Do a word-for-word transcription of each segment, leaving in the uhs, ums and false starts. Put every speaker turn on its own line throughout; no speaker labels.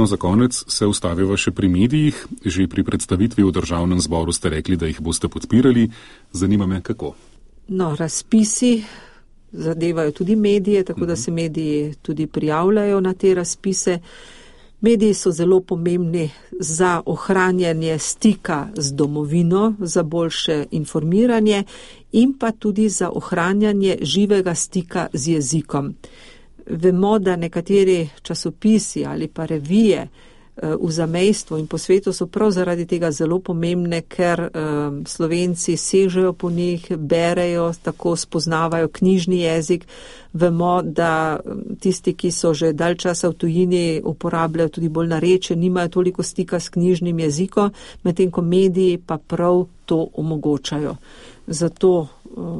No, za konec se ustaviva še pri medijih. Že pri predstavitvi v Državnem zboru ste rekli, da jih boste podpirali. Zanima me, kako?
No, razpisi zadevajo tudi medije, tako da se mediji tudi prijavljajo na te razpise. Mediji so zelo pomembni za ohranjanje stika z domovino, za boljše informiranje in pa tudi za ohranjanje živega stika z jezikom. Vemo, da nekateri časopisi ali pa revije v zamejstvu in po svetu so prav zaradi tega zelo pomembne, ker um, Slovenci sežejo po njih, berejo, tako spoznavajo knjižni jezik. Vemo, da tisti, ki so že dalj časa v tujini, uporabljajo tudi bolj narečje, nimajo toliko stika s knjižnim jezikom, medtem ko mediji pa prav to omogočajo. Zato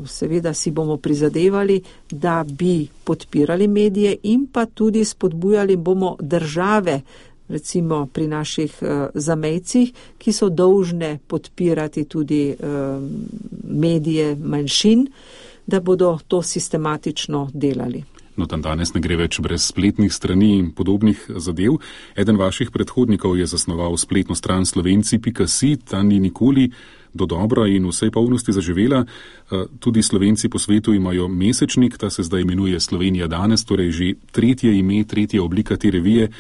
seveda si bomo prizadevali, da bi podpirali medije in pa tudi spodbujali bomo države, recimo pri naših uh, zamejcih, ki so dolžne podpirati tudi uh, medije manjšin, da bodo to sistematično delali.
No, tam danes ne gre več brez spletnih strani in podobnih zadev. Eden vaših predhodnikov je zasnoval spletno stran slovenci pika si, ta ni nikoli do dobra in vsej polnosti zaživela. Tudi Slovenci po svetu imajo mesečnik, ta se zdaj imenuje Slovenija danes, torej že tretje ime, tretja oblika te revije.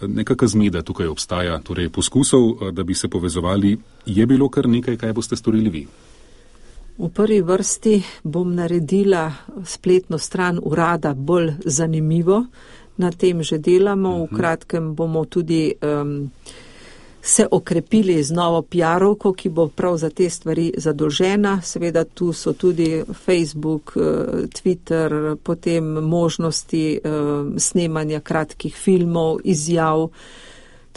Nekaka zmeda tukaj obstaja, torej poskusov, da bi se povezovali, je bilo kar nekaj, kaj boste storili vi?
V prvi vrsti bom naredila spletno stran urada bolj zanimivo, na tem že delamo, v kratkem bomo tudi um, se okrepili z novo pi arovko, ki bo prav za te stvari zadolžena. Seveda tu so tudi Facebook, Twitter, potem možnosti snemanja kratkih filmov, izjav.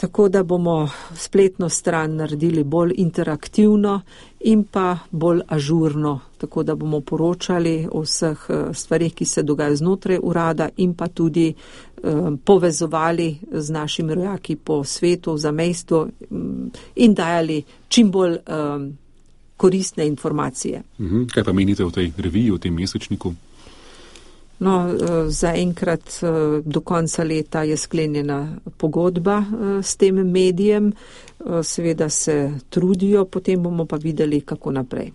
Tako da bomo spletno stran naredili bolj interaktivno in pa bolj ažurno, tako da bomo poročali o vseh stvarih, ki se dogajajo znotraj urada in pa tudi um, povezovali z našimi rojaki po svetu, v zamejstvu um, in dajali čim bolj um, koristne informacije.
Mhm. Kaj pa menite o tej reviji, o tem mesečniku?
No, zaenkrat do konca leta je sklenjena pogodba s tem medijem, seveda se trudijo, potem bomo pa videli, kako naprej.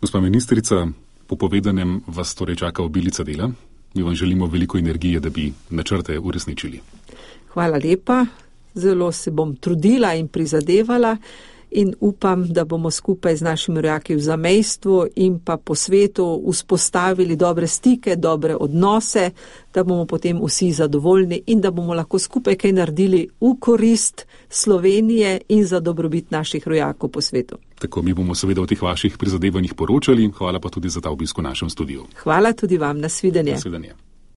Gospa ministrica, po povedanem vas torej čaka obilica dela. Mi vam želimo veliko energije, da bi načrte uresničili.
Hvala lepa, zelo se bom trudila in prizadevala in upam, da bomo skupaj z našimi rojaki v zamejstvu in pa po svetu vzpostavili dobre stike, dobre odnose, da bomo potem vsi zadovoljni in da bomo lahko skupaj kaj naredili v korist Slovenije in za dobrobit naših rojakov po svetu.
Tako, mi bomo seveda o teh vaših prizadevanjih poročali. Hvala pa tudi za ta obisk v našem studiu.
Hvala tudi vam, nasvidenje.
Nasvidenje.